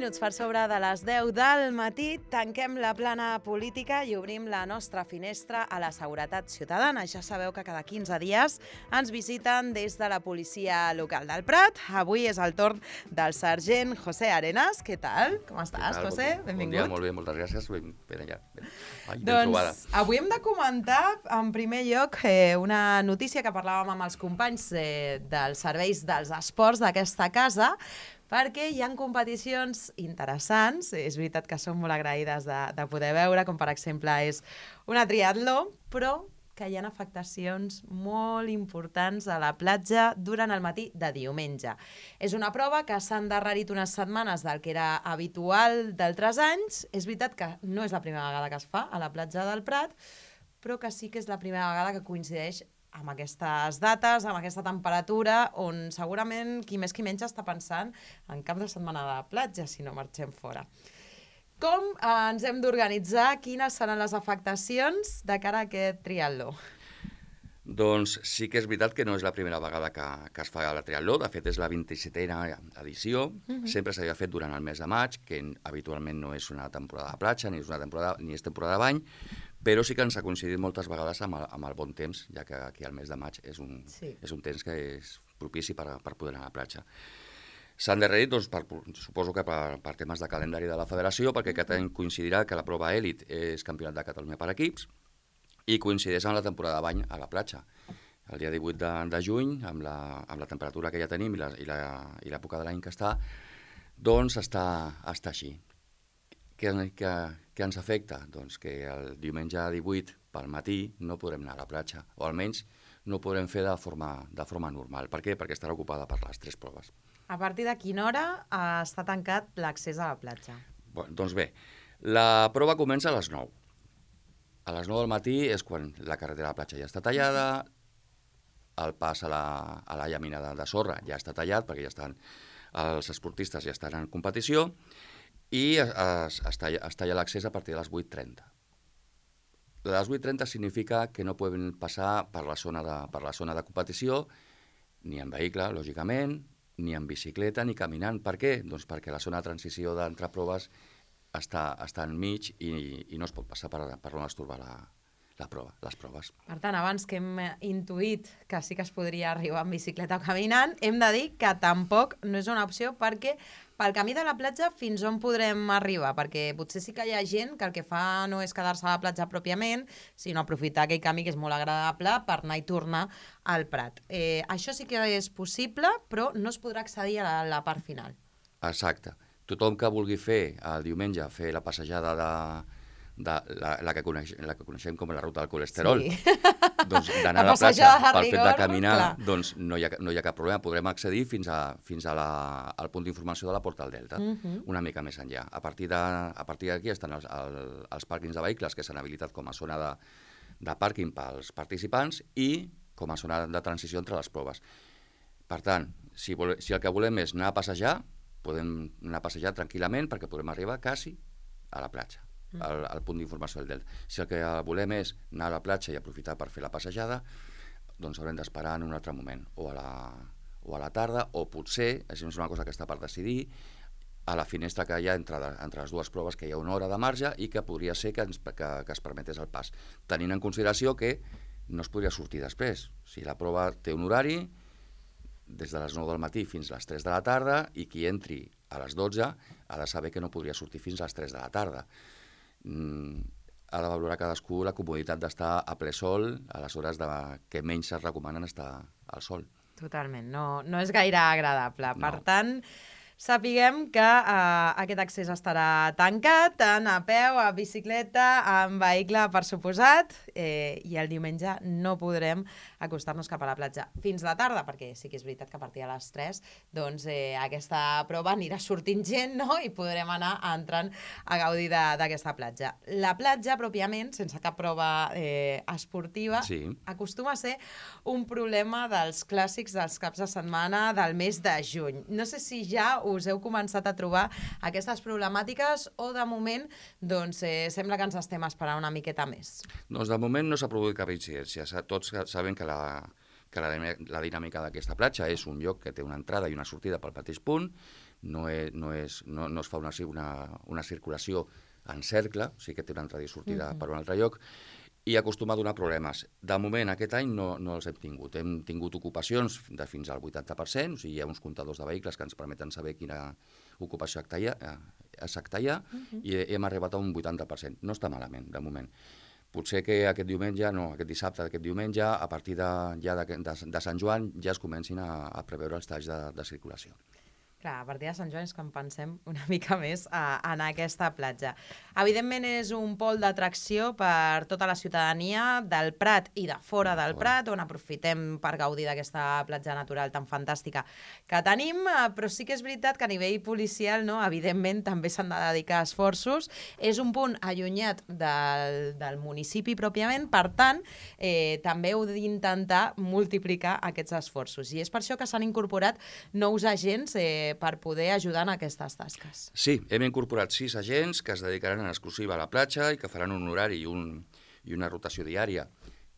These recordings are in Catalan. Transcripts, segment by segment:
minuts per sobre de les 10 del matí, tanquem la plana política i obrim la nostra finestra a la seguretat ciutadana. Ja sabeu que cada 15 dies ens visiten des de la policia local del Prat. Avui és el torn del sergent José Arenas. Què tal? Com estàs, José? Benvingut. Bon dia, molt bé, moltes gràcies. Ben allà. Ben doncs trobada. Avui hem de comentar, en primer lloc, una notícia que parlàvem amb els companys dels serveis dels esports d'aquesta casa, perquè hi ha competicions interessants, és veritat que som molt agraïdes de poder veure, com per exemple és una triatló, però que hi ha afectacions molt importants a la platja durant el matí de diumenge. És una prova que s'ha endarrerit unes setmanes del que era habitual d'altres anys. És veritat que no és la primera vegada que es fa a la platja del Prat, però que sí que és la primera vegada que coincideix amb aquestes dates, amb aquesta temperatura, on segurament qui més qui menys està pensant en cap de setmana de platja, si no marxem fora. Com ens hem d'organitzar? Quines seran les afectacions de cara a aquest triatló? Doncs sí que és veritat que no és la primera vegada que es fa la triatló, de fet és la 27a edició, sempre s'havia fet durant el mes de maig, que habitualment no és una temporada de platja, ni és temporada de bany, però sí que ens ha coincidit moltes vegades amb el bon temps, ja que aquí al mes de maig és un temps que és propici per poder anar a la platja. S'han endarrerit, doncs, suposo que per temes de calendari de la federació, perquè aquest any coincidirà que la prova èlit és Campionat de Catalunya per equips i coincideix amb la temporada de bany a la platja. El dia 18 de juny, amb la temperatura que ja tenim i l'època de l'any que està, doncs està així. Què ens afecta? Doncs que el diumenge 18 pel matí no podrem anar a la platja, o almenys no ho podrem fer de forma normal. Per què? Perquè estarà ocupada per les 3 proves. A partir de quina hora està tancat l'accés a la platja? Doncs bé, la prova comença a les 9. A les 9 del matí és quan la carretera de la platja ja està tallada, el pas a la llamina de sorra ja està tallat, perquè els esportistes ja estan en competició, i es talla l'accés a partir de les 8:30. De les 8:30 significa que no poden passar per la zona de competició, ni en vehicle, lògicament, ni en bicicleta, ni caminant. Per què? Doncs perquè la zona de transició d'entre proves està enmig i no es pot passar per on es troba les proves. Per tant, abans que hem intuït que sí que es podria arribar en bicicleta o caminant, hem de dir que tampoc no és una opció, perquè pel camí de la platja fins on podrem arribar? Perquè potser sí que hi ha gent que el que fa no és quedar-se a la platja pròpiament, sinó aprofitar aquell camí que és molt agradable per anar i tornar al Prat. Això sí que és possible, però no es podrà accedir a la part final. Exacte. Tothom que vulgui fer el diumenge, fer la passejada la que coneixem com la ruta del colesterol, doncs d'anar a la platja pel fet de caminar, doncs no hi ha cap problema. Podrem accedir fins al punt d'informació de la Porta del Delta, una mica més enllà. A partir d'aquí estan els pàrquings de vehicles que s'han habilitat com a zona de pàrquing pels participants i com a zona de transició entre les proves. Per tant, si el que volem és anar a passejar, podem anar a passejar tranquil·lament perquè podrem arribar quasi a la platja, al punt d'informació del Delta. Si el que volem és anar a la platja i aprofitar per fer la passejada, doncs haurem d'esperar en un altre moment, o a la tarda, o potser, és una cosa que està per decidir, a la finestra que hi ha entre les dues proves, que hi ha una hora de marge i que podria ser que es permetés el pas, tenint en consideració que no es podria sortir després. Si la prova té un horari, des de les 9 del matí fins a les 3 de la tarda, i qui entri a les 12 ha de saber que no podria sortir fins a les 3 de la tarda. Ha de valorar cadascú la comoditat d'estar a ple sol a les hores que menys es recomanen estar al sol. Totalment, no és gaire agradable. Per tant, sapiguem que aquest accés estarà tancat, tant a peu, a bicicleta, en vehicle, per suposat, i el diumenge no podrem acostar-nos cap a la platja fins la tarda, perquè sí que és veritat que a partir de les 3 doncs, aquesta prova anirà sortint gent, no? I podrem anar entrant a gaudir d'aquesta platja. La platja, pròpiament, sense cap prova esportiva, acostuma a ser un problema dels clàssics dels caps de setmana del mes de juny. No sé si ja us heu començat a trobar aquestes problemàtiques o de moment doncs, sembla que ens estem esperant una miqueta més? Doncs de moment no s'ha produït cap incidència. Tots sabem que que la dinàmica d'aquesta platja és un lloc que té una entrada i una sortida pel mateix punt, no es fa una circulació en cercle, o sigui que té una entrada i sortida per un altre lloc, i acostuma a donar problemes. De moment, aquest any no els hem tingut. Hem tingut ocupacions de fins al 80%, o sigui, hi ha uns comptadors de vehicles que ens permeten saber quina ocupació exacta hi ha, i hem arribat a un 80%. No està malament, de moment. Potser que aquest dissabte d'aquest diumenge, a partir de Sant Joan, ja es comencin a preveure els talls de circulació. Clar, a partir de Sant Joan és quan pensem una mica més a anar a aquesta platja. Evidentment és un pol d'atracció per tota la ciutadania del Prat i de fora del Prat, on aprofitem per gaudir d'aquesta platja natural tan fantàstica que tenim, però sí que és veritat que a nivell policial, no, evidentment també s'han de dedicar esforços. És un punt allunyat del municipi pròpiament, per tant, també heu d'intentar multiplicar aquests esforços. I és per això que s'han incorporat nous agents per poder ajudar en aquestes tasques. Sí, hem incorporat 6 agents que es dedicaran en exclusiva a la platja i que faran un horari i una rotació diària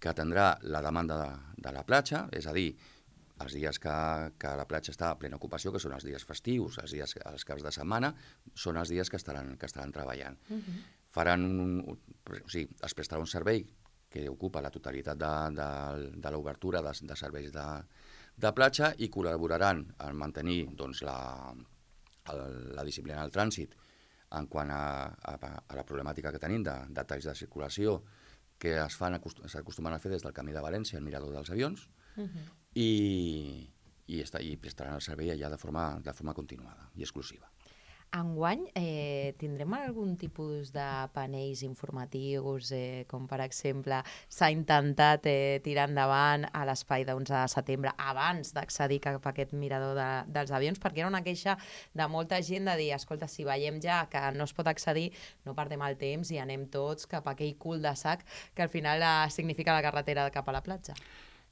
que atendrà la demanda de la platja, és a dir, els dies que la platja està a plena ocupació, que són els dies festius, els caps de setmana, són els dies que estaran treballant. Es prestarà un servei que ocupa la totalitat de l'obertura de serveis de platja i col·laboraran en mantenir la disciplina del trànsit en quant a la problemàtica que tenim de talls de circulació que s'acostumen a fer des del Camí de València, al Mirador dels Avions, i prestaran el servei allà de forma continuada i exclusiva. Enguany tindrem algun tipus de panells informatius, com per exemple s'ha intentat tirar endavant a l'espai d'11 de setembre abans d'accedir cap a aquest mirador dels avions, perquè era una queixa de molta gent de dir, escolta, si veiem ja que no es pot accedir, no perdem el temps i anem tots cap a aquell cul de sac que al final significa la carretera cap a la platja.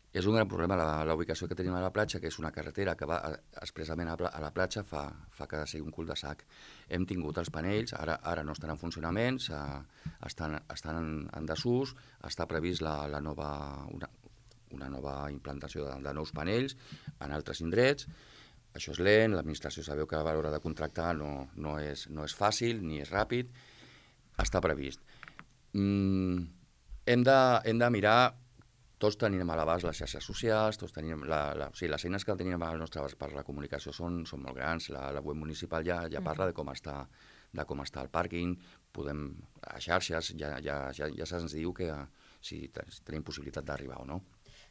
És un gran problema la ubicació que tenim a la platja, que és una carretera que va expressament a la platja, fa que sigui un cul de sac. Hem tingut els panells, ara no estan en funcionament, estan en desús, està previst una nova implantació de nous panells en altres indrets. Això és lent, l'administració sabeu que a l'hora de contractar no és fàcil ni és ràpid, està previst. Hem de mirar. Tots tenim a l'abast les xarxes socials, tots tenim les eines que tenim al nostre abast per la comunicació són molt grans. La web municipal ja parla de com està el pàrquing, a xarxes ja se'ns diu que si tenim possibilitat d'arribar o no.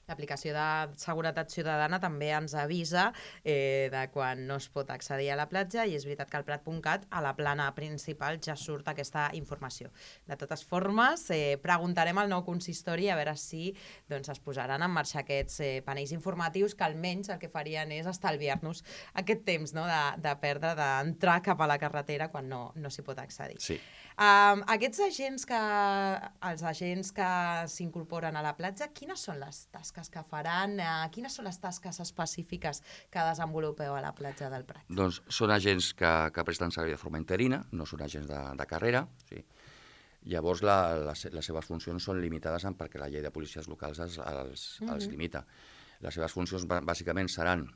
L'aplicació de seguretat ciutadana també ens avisa de quan no es pot accedir a la platja i és veritat que al Prat.cat a la plana principal ja surt aquesta informació. De totes formes, preguntarem al nou consistori a veure si es posaran en marxa aquests panells informatius que almenys el que farien és estalviar-nos aquest temps de perdre, d'entrar cap a la carretera quan no s'hi pot accedir. Sí. Aquests agents els agents que s'incorporen a la platja, quines són les tasques que faran? Quines són les tasques específiques que desenvolupeu a la platja del Prat? Doncs són agents que presten servei de forma interina, no són agents de carrera. Sí. Llavors, les seves funcions són limitades perquè la llei de policies locals els limita. Les seves funcions bàsicament seran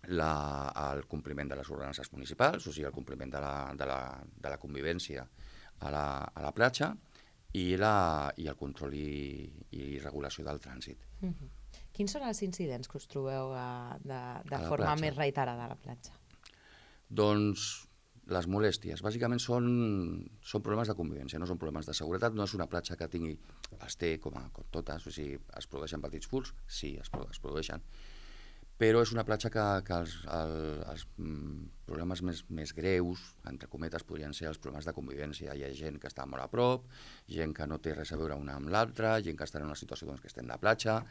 el compliment de les ordenances municipals, o sigui, el compliment de la convivència a la platja i el control i regulació del trànsit. Quins són els incidents que us trobeu de forma més reiterada a la platja? Doncs les molèsties. Bàsicament són problemes de convivència, no són problemes de seguretat. No és una platja que els té com totes, o sigui, es produeixen petits furts, sí, es produeixen, però és una platja que els problemes més greus, entre cometes, podrien ser els problemes de convivència. Hi ha gent que està molt a prop, gent que no té res a veure una amb l'altra, gent que està en una situació que estem de platja,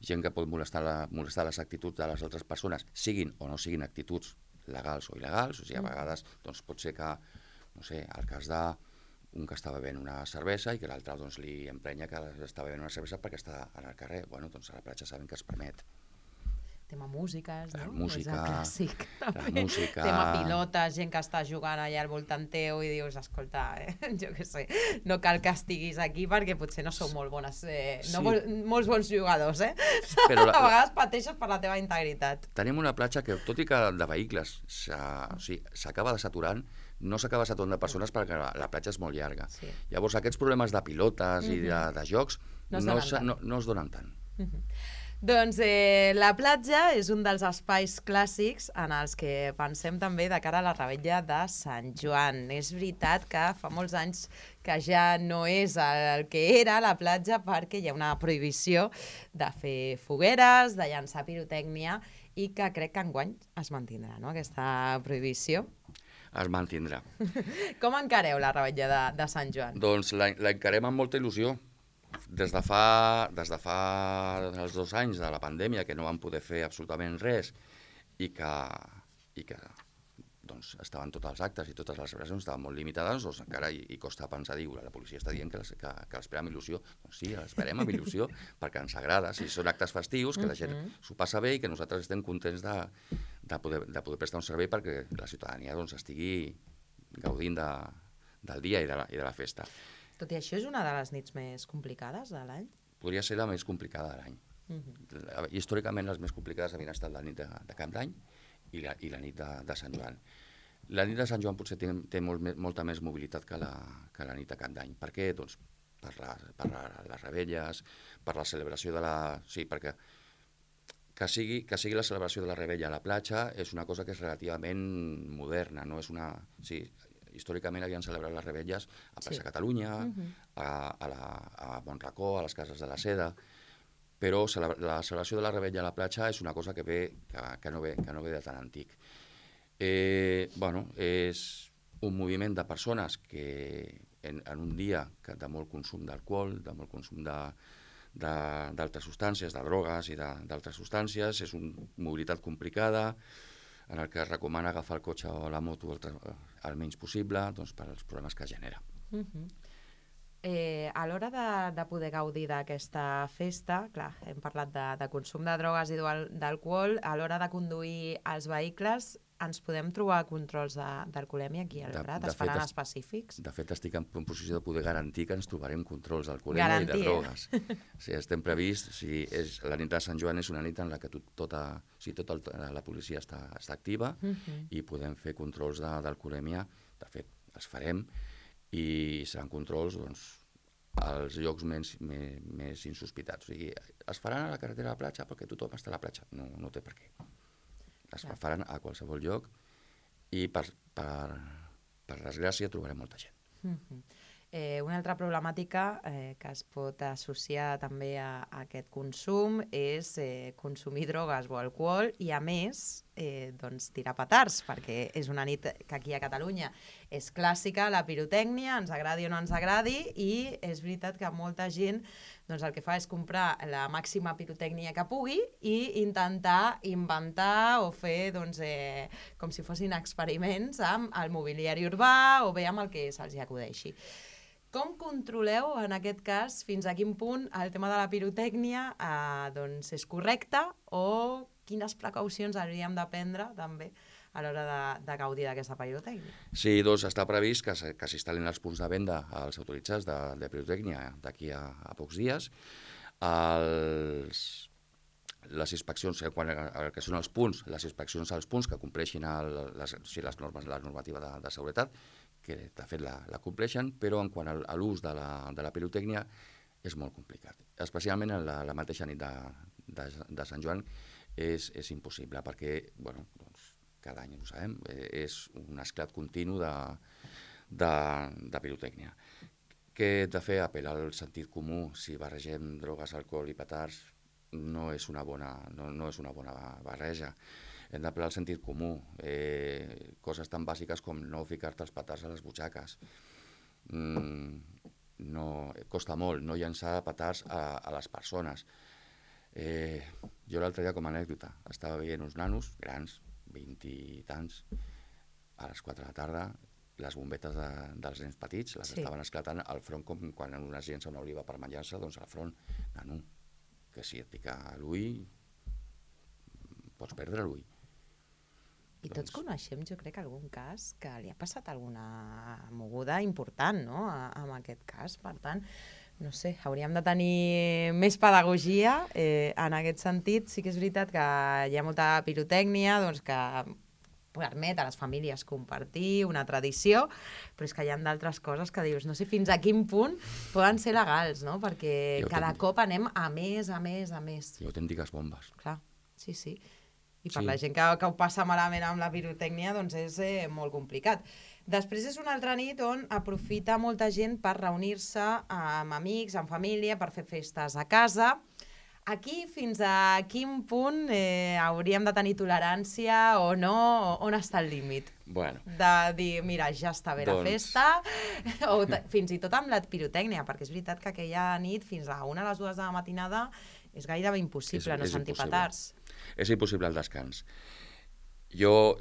gent que pot molestar les actituds de les altres persones, siguin o no siguin actituds legals o il·legals. O sigui, a vegades pot ser que, no sé, el cas d'un que està bevent una cervesa i que l'altre li emprenya que està bevent una cervesa perquè està al carrer. Bueno, doncs a la platja sabem que es permet. Tema músiques, no? Música, clàssic, la música... Tema pilotes, gent que està jugant allà al voltant teu i dius, escolta, jo què sé, no cal que estiguis aquí perquè potser no sou molt bones, molts bons jugadors, Però a vegades pateixes per la teva integritat. Tenim una platja que, tot i que de vehicles s'acaba saturant, no s'acaba saturant de persones perquè la platja és molt llarga. Sí. Llavors, aquests problemes de pilotes i de jocs no es donen tant. Doncs la platja és un dels espais clàssics en els que pensem també de cara a la revetlla de Sant Joan. És veritat que fa molts anys que ja no és el que era la platja perquè hi ha una prohibició de fer fogueres, de llançar pirotècnia i que crec que enguany es mantindrà, no?, aquesta prohibició. Es mantindrà. Com encareu la revetlla de Sant Joan? Doncs l'encarem amb molta il·lusió. Des de fa els 2 anys de la pandèmia, que no vam poder fer absolutament res i que doncs, estaven tots els actes i totes les celebracions estaven molt limitades, doncs encara hi costa pensar, la policia està dient que l'esperem amb il·lusió. Doncs sí, l'esperem amb il·lusió perquè ens agrada. Si són actes festius, que la gent s'ho passa bé i que nosaltres estem contents de poder prestar un servei perquè la ciutadania doncs, estigui gaudint del dia i de la festa. Tot i això, és una de les nits més complicades de l'any? Podria ser la més complicada de l'any. Històricament, les més complicades havien estat la nit de Cap d'Any i la nit de Sant Joan. La nit de Sant Joan potser té molta més mobilitat que la nit de Cap d'Any. Per què? Doncs per les rebelles, per la celebració de la... Sí, perquè que sigui la celebració de la rebella a la platja és una cosa que és relativament moderna, no és una... Sí, històricament havien celebrat les rebelles a Plaça Catalunya, a Montracó, a les Cases de la Seda, però la celebració de la rebella a la platja és una cosa que no ve de tan antic. És un moviment de persones que en un dia de molt consum d'alcohol, de molt consum d'altres substàncies, de drogues i d'altres substàncies, és una mobilitat complicada, en el que es recomana agafar el cotxe o la moto el menys possible doncs, per als problemes que genera. A l'hora de poder gaudir d'aquesta festa, clar, hem parlat de consum de drogues i d'alcohol, a l'hora de conduir els vehicles ens podem trobar controls d'alcoholèmia aquí al Prat? Es faran específics? De fet, estic en posició de poder garantir que ens trobarem controls d'alcoholèmia i de drogues. Estem prevists, la nit de Sant Joan és una nit en la que tota la policia està activa i podem fer controls d'alcoholèmia. De fet, els farem i seran controls als llocs més insospitats. O sigui, es faran a la carretera de la platja perquè tothom està a la platja. No té per què. Es faran a qualsevol lloc i per desgràcia trobarem molta gent. Una altra problemàtica que es pot associar també a aquest consum és consumir drogues o alcohol i a més tirar petards, perquè és una nit que aquí a Catalunya és clàssica, la pirotècnia, ens agradi o no ens agradi, i és veritat que molta gent el que fa és comprar la màxima pirotècnia que pugui i intentar inventar o fer com si fossin experiments amb el mobiliari urbà o bé amb el que se'ls acudeixi. Com controleu, en aquest cas, fins a quin punt el tema de la pirotècnia és correcte o quines precaucions hauríem de prendre també a l'hora de gaudir d'aquesta pirotècnia? Sí, està previst que s'instal·lin els punts de venda als autoritzats de pirotècnia d'aquí a pocs dies. Les inspeccions, quan el que són els punts, les inspeccions als punts que compleixin la normativa de seguretat, que de fet la compleixen, però en quant a l'ús de la pirotècnia és molt complicat. Especialment en la mateixa nit de Sant Joan és impossible, perquè cada any ho sabem, és un esclat continu de pirotècnia. Què hem de fer? Apel·lar al sentit comú. Si barregem drogues, alcohol i petards, no és una bona barreja. Hem d'apel·lar al sentit comú. Coses tan bàsiques com no ficar-te els petards a les butxaques. Costa molt no llançar petards a les persones. Jo l'altre dia, com a anècdota, estava veient uns nanos grans, 20 i tants, a les 4 de la tarda, les bombetes dels nens petits les estaven esclatant al front, com quan un es llença una oliva per menjar-se, doncs al front, nano, que si et pica l'ull, pots perdre l'ull. I tots coneixem, jo crec, algun cas que li ha passat alguna moguda important, no?, en aquest cas. Per tant, no sé, hauríem de tenir més pedagogia en aquest sentit. Sí que és veritat que hi ha molta pirotècnia, doncs que permet a les famílies compartir una tradició, però és que hi ha d'altres coses que dius, no sé fins a quin punt poden ser legals, no?, perquè cada cop anem a més, a més, a més. I autèntiques bombes. Clar, sí. I per la gent que ho passa malament amb la pirotècnia, doncs és molt complicat. Després és una altra nit on aprofita molta gent per reunir-se amb amics, amb família, per fer festes a casa. Aquí, fins a quin punt hauríem de tenir tolerància o no? On està el límit? Bueno. De dir, mira, ja està bé la festa, o fins i tot amb la pirotècnia, perquè és veritat que aquella nit, fins a 1 a les 2 de la matinada, és gairebé impossible no sentir petards. És impossible el descans. Jo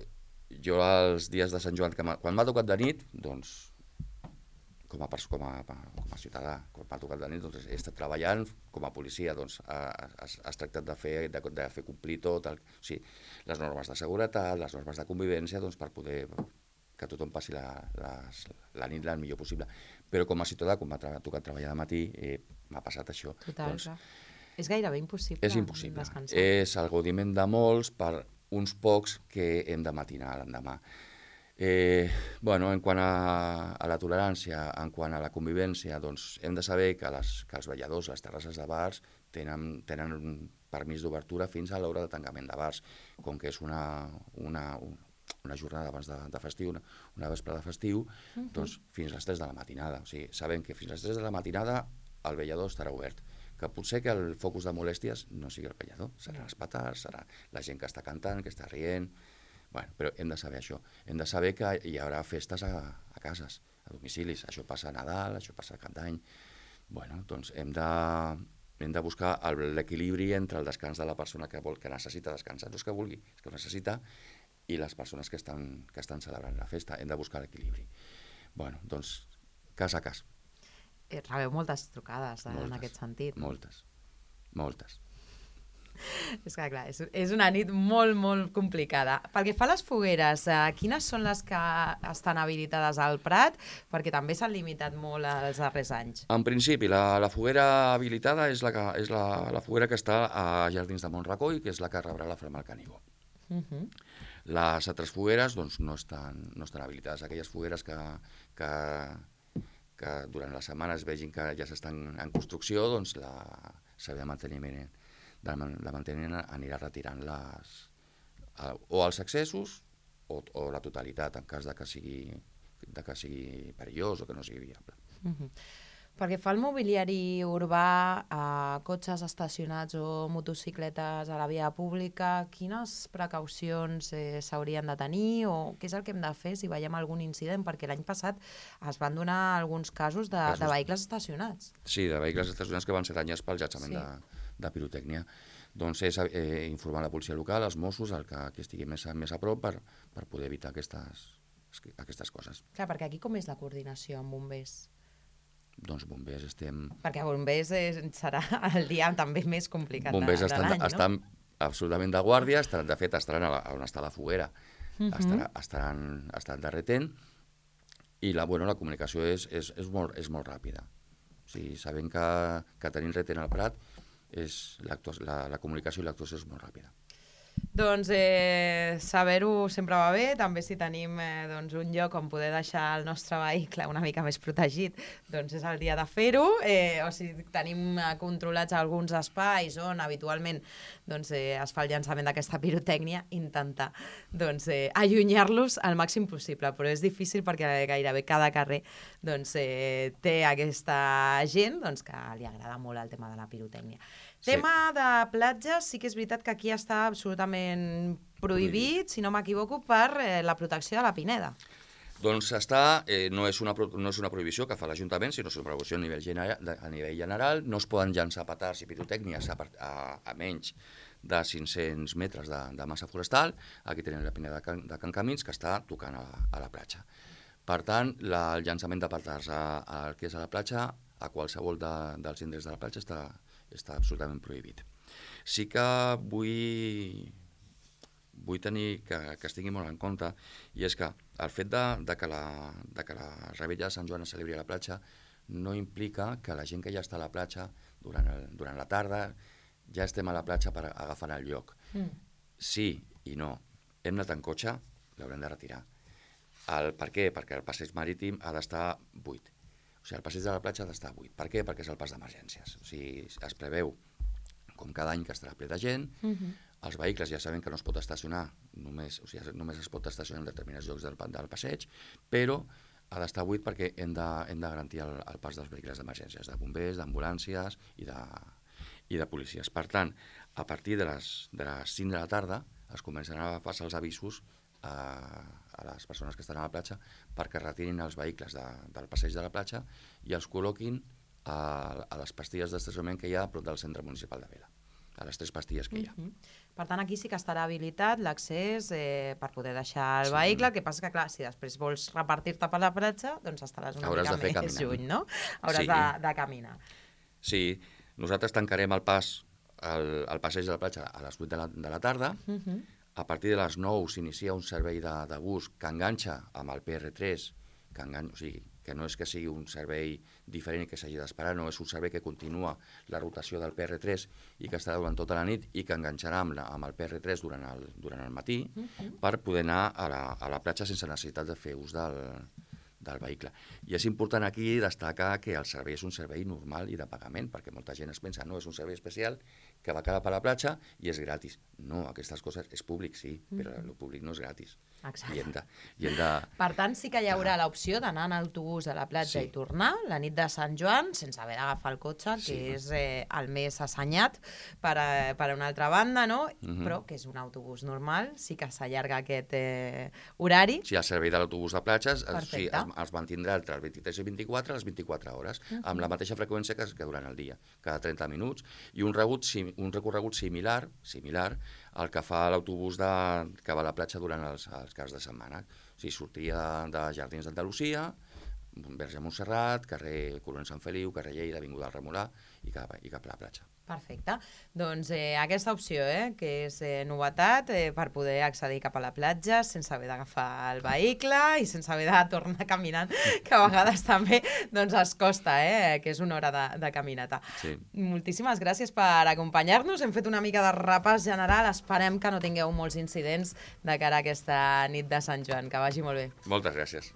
els dies de Sant Joan, quan m'ha tocat de nit, doncs, com a ciutadà, quan m'ha tocat de nit, doncs, he estat treballant com a policia, doncs, has tractat de fer complir tot, les normes de seguretat, les normes de convivència, doncs, per poder que tothom passi la nit el millor possible. Però com a ciutadà, quan m'ha tocat treballar de matí, m'ha passat això. Total, doncs, és gairebé impossible. És impossible. Descansar. És el gaudiment de molts per uns pocs que hem de matinar l'endemà. En quant a la tolerància, en quant a la convivència, doncs hem de saber que els balladors, les terrasses de bars, tenen un permís d'obertura fins a l'hora de tancament de bars. Com que és una jornada abans de festiu, una vespre de festiu, doncs fins a les 3 de la matinada. O sigui, sabem que fins a les 3 de la matinada el ballador estarà obert. Que potser que el focus de molèsties no sigui el ballador, seran els petards, serà la gent que està cantant, que està rient. Però hem de saber això. Hem de saber que hi haurà festes a cases, a domicilis. Això passa a Nadal, això passa a Cap d'Any. Doncs hem de buscar l'equilibri entre el descans de la persona que necessita descansar, no és que vulgui, és que ho necessita, i les persones que estan celebrant la festa. Hem de buscar l'equilibri. Doncs, cas a cas. Rebeu moltes trucades en aquest sentit. Moltes. És que, clar, és una nit molt, molt complicada. Pel que fa a les fogueres, quines són les que estan habilitades al Prat? Perquè també s'han limitat molt els darrers anys. En principi, la foguera habilitada és la foguera que està a Jardins de Montracoi, que és la que rebrà la Flamal Canigó. Les altres fogueres doncs, no estan habilitades. Aquelles fogueres que durant la setmana es vegin que ja s'estan en construcció, doncs la servei de manteniment anirà retirant o els accessos o la totalitat, en cas de que sigui perillós o que no sigui viable. Perquè fa el mobiliari urbà, cotxes estacionats o motocicletes a la via pública, quines precaucions s'haurien de tenir o què és el que hem de fer si veiem algun incident? Perquè l'any passat es van donar alguns casos de vehicles estacionats. Sí, de vehicles estacionats que van ser danyats pel llançament de pirotècnia. Doncs és informar la policia local, els Mossos, el que estigui més a prop per poder evitar aquestes coses. Clar, perquè aquí com és la coordinació amb bombers? Doncs bombers estem... Perquè bombers serà el dia també més complicat de l'any, no? Bombers estan absolutament de guàrdia, de fet estaran on està la foguera, estan derretent, i la comunicació és molt ràpida. O sigui, sabent que tenim retent al Prat, la comunicació i l'actuació és molt ràpida. Doncs saber-ho sempre va bé, també si tenim un lloc on poder deixar el nostre vehicle una mica més protegit, doncs és el dia de fer-ho, o si tenim controlats alguns espais on habitualment es fa el llançament d'aquesta pirotècnia, intentar allunyar-los al màxim possible, però és difícil perquè gairebé cada carrer té aquesta gent que li agrada molt el tema de la pirotècnia. Tema de platges, sí que és veritat que aquí està absolutament prohibit, si no m'equivoco, per la protecció de la pineda. Doncs no és una prohibició que fa l'Ajuntament, sinó és una prohibició a nivell general. No es poden llançar petards i pirotècnies a menys de 500 metres de massa forestal. Aquí tenim la pineda de Can Camins, que està tocant a la platja. Per tant, el llançament de petards al que és a la platja, a qualsevol dels indrets de la platja, està absolutament prohibit. Sí que vull vull tenir que es tingui molt en compte, i és que el fet de que la Revetlla de Sant Joan es celebri a la platja no implica que la gent que ja està a la platja durant la tarda ja estem a la platja per agafar el lloc. Sí i no. Hem anat en cotxe, l'haurem de retirar. Per què? Perquè el passeig marítim ha d'estar buit. O sigui, el passeig de la platja ha d'estar buit. Per què? Perquè és el pas d'emergències. O sigui, es preveu, com cada any, que estarà ple de gent. Els vehicles ja sabem que no es pot estacionar, només es pot estacionar en determinats llocs del passeig, però ha d'estar buit perquè hem de garantir el pas dels vehicles d'emergències, de bombers, d'ambulàncies i de policies. Per tant, a partir de les 5 de la tarda es començaran a passar els avisos a les persones que estan a la platja perquè retirin els vehicles del passeig de la platja i els col·loquin a les pastilles d'estacionament que hi ha a prop del centre municipal de Vila, a les 3 pastilles que hi ha. Per tant, aquí sí que estarà habilitat l'accés per poder deixar el vehicle, el que passa que, clar, si després vols repartir-te per la platja, doncs estaràs una mica més lluny, no? Hauràs de caminar. Sí, nosaltres tancarem el passeig de la platja a les 8 de la tarda. A partir de les 9 s'inicia un servei de bus que enganxa amb el PR3, o sigui, que no és que sigui un servei diferent i que s'hagi d'esperar, no, és un servei que continua la rotació del PR3 i que estarà durant tota la nit i que enganxarà amb el PR3 durant el matí per poder anar a la platja sense necessitat de fer ús del vehicle. I és important aquí destacar que el servei és un servei normal i de pagament, perquè molta gent es pensa, no, és un servei especial que va quedar per la platja i és gratis. No, aquestes coses és públic, sí, però el públic no és gratis. Exacte. Per tant, sí que hi haurà l'opció d'anar en autobús a la platja i tornar la nit de Sant Joan sense haver d'agafar el cotxe, que és el més assenyat per una altra banda, no? Però que és un autobús normal, sí que s'allarga aquest horari. Sí, el servei de l'autobús de platges es mantindrà entre les 23 i 24 a les 24 hores, amb la mateixa freqüència que durant el dia, cada 30 minuts, i un recorregut similar al que fa l'autobús que va a la platja durant els caps de setmana. O sigui, sortia de Jardins d'Andalusia, Verge Montserrat, carrer Coronel Sant Feliu, carrer Lleida, avinguda del Remolà i cap a la platja. Perfecte. Doncs aquesta opció, que és novetat per poder accedir cap a la platja sense haver d'agafar el vehicle i sense haver de tornar caminant, que a vegades també es costa, que és una hora de caminata. Sí. Moltíssimes gràcies per acompanyar-nos. Hem fet una mica de repàs general. Esperem que no tingueu molts incidents de cara a aquesta nit de Sant Joan. Que vagi molt bé. Moltes gràcies.